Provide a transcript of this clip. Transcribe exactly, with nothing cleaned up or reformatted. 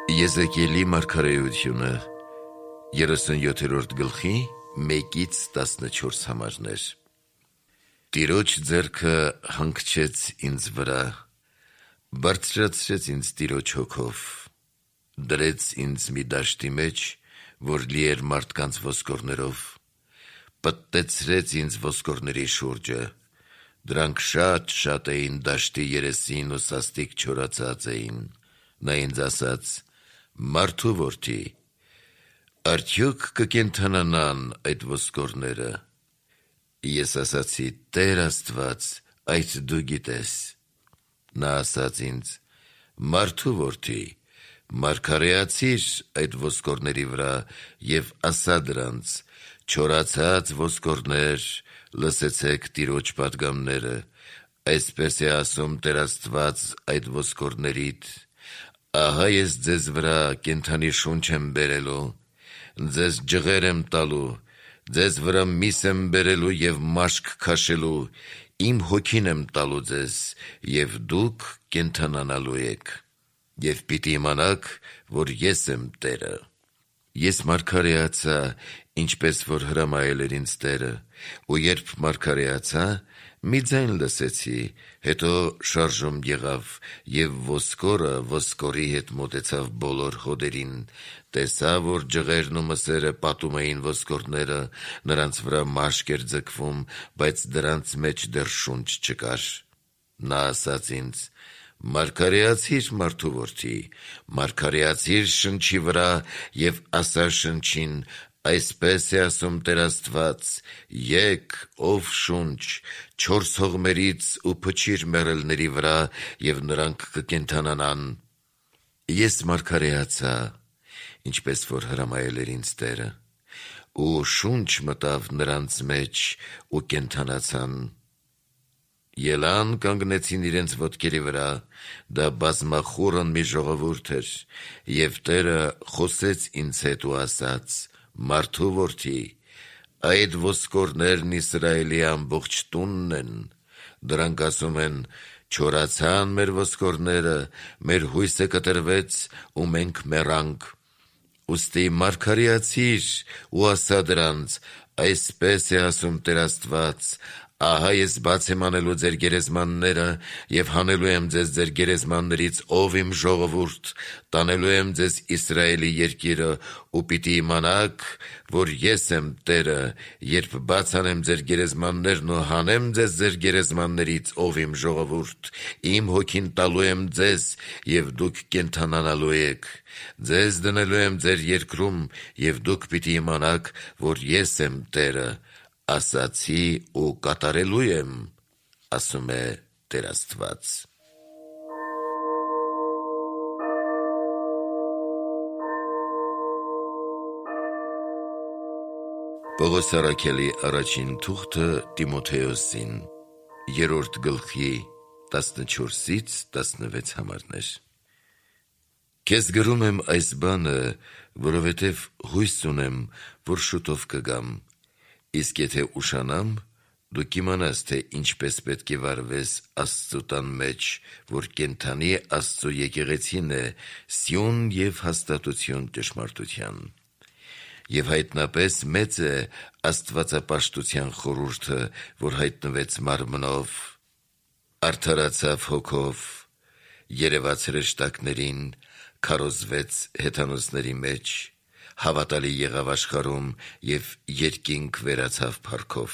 Եզեկիելի մարգարեությունը երեսունյոթերորդ գլխի մեկից տասնչորս համարներ։ Տիրոջ ձեռքը հանգչեց ինձ վրա, բարձրացրեց ինձ Տիրոջ հոգով, դրեց ինձ մի դաշտի մեջ, որ լի էր մարդկանց ոսկորներով, պտտեցրեց ինձ ոսկորների շուրջը, դրանք շատ-շատ էին դաշտի երեսին ու սաստիկ չորացած էին։ Նա ինձ ասաց. «Մարդու որդի, արդյոք կկենդանանան այդ ոսկորները»։ Ես ասացի. «Տեր Աստված, այդ դու գիտես»։ Նա ասաց ինձ. «Մարդու որդի, մարգարեացիր այդ ոսկորների վրա և ասա դրանց. չորացած ոսկորներ, լսեցեք Տիրոջ պատգամները, այսպես է ասում Տեր Աստված այդ ոսկորներիդ. ահա ես ձեզ վրա կենդանի շունչ եմ բերելու, ձեզ ջղեր եմ տալու, ձեզ վրա միս եմ բերելու և մաշկ քաշելու, իմ հոգին եմ տալու ձեզ, և դուք կենդանանալու եք, և պիտի իմանաք, որ ես եմ Տերը»։ Ես մարգարեացա, ինչպես որ հրամայել էր ինձ Տերը, ու երբ մարգարեացա, մի ձայն լսեցի, հետո շարժում եղավ, և ոսկորը ոսկորի հետ մոտեցավ բոլոր հոդերին, տեսա, որ ջղերն ու մսերը պատում էին ոսկորները, նրանց վրա մաշկ էր ձգվում, բայց դրանց մեջ դեռ շունչ չկար։ Նա ասաց ինձ. «Մարգարեացիր, մարդու որդի, մարգարեացիր շնչի վրա և ասա շնչին. այսպես է ասում Տեր Աստված. եկ, ով շունչ, չորս հողմերից ու փչիր մեռելների վրա, և նրանք կկենդանանան»։ Ես մարգարեացա, ինչպես որ հրամայել էր ինձ Տերը, ու շունչ մտավ նրանց մեջ ու կենդանացան։ Ելան, կանգնեցին իրենց ոտքերի վրա, դա բազմախուռն մի ժողովուրդ էր, և Տերը խոսեց ինձ հետ ու ասաց. «Մարդու որդի, այդ ոսկորներն Իսրայելի ամբողջ տունն են, դրանք ասում են. չորացան մեր ոսկորները, մեր հույսը կտրվեց ու մենք մեռանք։ Ուստի մարգարեացիր ու ասա դրանց. այսպես է ասում Տեր Աստված. ահա ես բաց եմ անելու ձեր գերեզմանները և հանելու եմ ձեզ ձեր գերեզմաններից, ով իմ ժողովուրդ, տանելու եմ ձեզ Իսրայելի երկիրը, ու պիտի իմանաք, որ ես եմ Տերը, երբ բաց անեմ ձեր գերեզմաններն ու հանեմ ձեզ ձեր գերեզմաններից, ով իմ ժողովուրդ, իմ հոգին տալու եմ ձեզ, և դուք կենդանանալու եք, ձեզ դնելու եմ ձեր երկրում, և դուք պիտի իմանաք, որ ես եմ Տերը, ասացի ու կատարելու եմ, ասում է Տեր Աստված»։ Պողոս առաքյալի առաջին թուղթը Տիմոթեոսին, երրորդ գլխի տասնչորսից տասնվեց համարներ։ Քեզ գրում եմ այս բանը, որովհետև հույս ունեմ, որ շուտով կգամ, իսկ եթե ուշանամ, դու կիմանաս, թե ինչպես պետք է վարվես Աստծու տան մեջ, որ կենդանի Աստծու եկեղեցին է, սյուն և հաստատություն ճշմարտության։ Եվ հայտնապես մեծ է աստվածապաշտության խորհուրդը, որ հայտնվեց մարմնով, արդարացավ հոգով, երևաց հրեշտակներին, քարոզվեց հեթանոսների մեջ, հավատալի եղավ աշխարհում և երկինք վերացավ փառքով։